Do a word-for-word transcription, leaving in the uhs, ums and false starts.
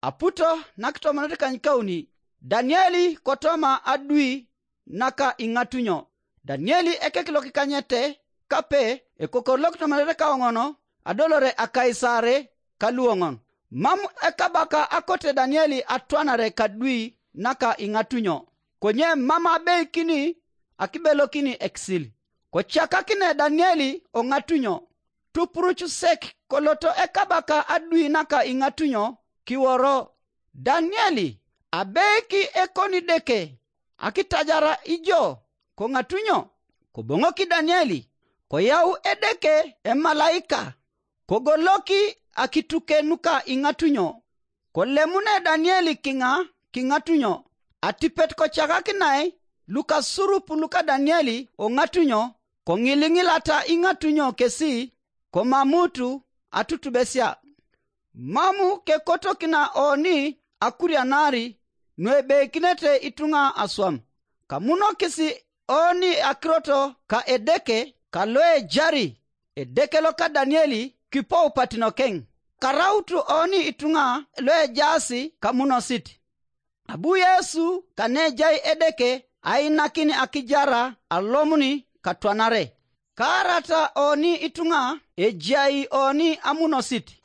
Aputo nakitomonit kanykauni, Danieli kotoma adui naka iŋatunyo. Danieli ekek lokikanyete kape, ekokor lokitomonit kaoŋon, adolore akaisare kaluoŋon. Mam ekabaka akote Danieli atwanare kadui naka iŋatunyo, konye mam abeikini akibelokini ekisil. Kocakakine Danieli oŋatunyo, tupuruc sek koloto ekabaka adui naka iŋatunyo kiworo, Danieli, abeiki ekoni Edeke akitajara ijo koŋatunyo? Koboŋoki Danieli, koyau Edeke emalaika, kogoloki akituke nuka iŋatunyo. Kolemune Danieli kiŋa kiŋatunyo, atipet kocakakinai lukasurup luka Danieli oŋatunyo, koŋiliŋilata iŋatunyo kesi, komamutu atutubesia. Mamu kekotokina oni akurianari nuebeikinete ituŋa aswam. Kamunokis oni akirot ka Edeke ka loejari Edeke loka Danieli kipou patinokeŋ. Karautu oni ituŋa loejaas kamunosit. Abu Yesu kanejai Edeke ainakin akijara alomuni katwanare. Kaarata oni ituŋa ejai oni amunosit.